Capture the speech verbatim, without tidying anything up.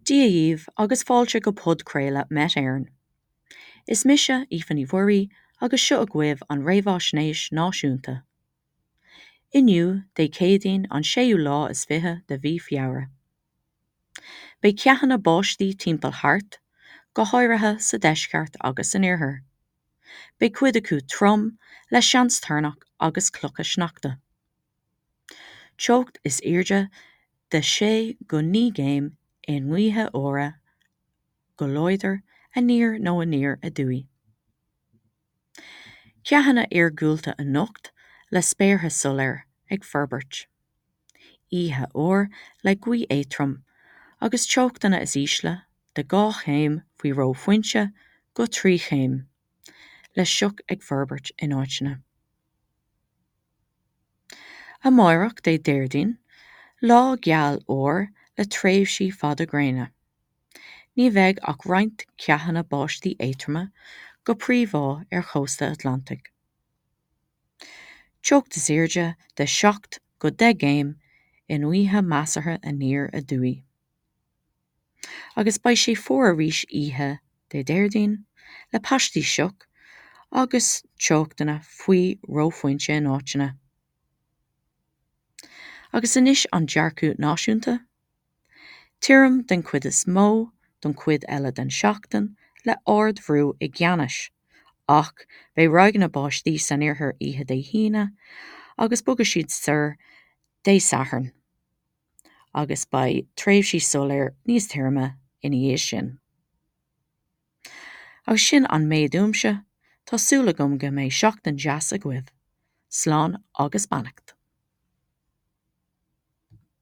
Dia dhaoibh agus fáilte go podchraoladh Met Éireann. Is mise Aoife Ní Mhuirí agus seo agaibh an réamhaisnéis náisiúnta. Inniu Dé Céadaoin an séú lá is fiche de mhí Feabhra. Beidh ceathanna báistí timpeall thart, go háirithe sa deisceart agus san iarthar. Beidh cuid acu trom le seans toirneach agus clocha sneachta. Teocht is airde de sé go naoi gcéim i ngaotha fhuara go láidir aniar nó aniar aduaidh. Ceathanna iargúlta anocht le spéartha soiléir ag forbairt. Oíche fhuar le gaoth éadrom agus teochtanna is ísle de dhá chéim faoi reophointe go trí chéim, le sioc ag forbairt in áiteanna. Amárach Dé Déardaoin, lá geal úr le tréimhsí fada gréine. Ní bheidh ach roinnt ceathanna báistí éadroma go príomha ar chósta Atlantaigh. Teocht is airde de seacht go deich gcéim i ngaotha measartha aniar aduaidh. Agus beidh sé fuar arís oíche Dé Déardaoin le paistí sioc agus teochtanna faoi reophointe in áiteanna. Agus anois an dearcadh náisiúnta, Tirim den chuid is mó don chuid eile den seachtain le ardbhrú i gceannais, ach beidh ráigeanna báistí san iarthar oíche Dé hAoine agus bogfaidh siad soir Dé Sathairn, agus beidh tréimhsí soiléir níos tirime ina dhiaidh sin. Agus sin an méid uaimse, tá súil agam go mbeidh seachtain deas agaibh. Slán agus beannacht.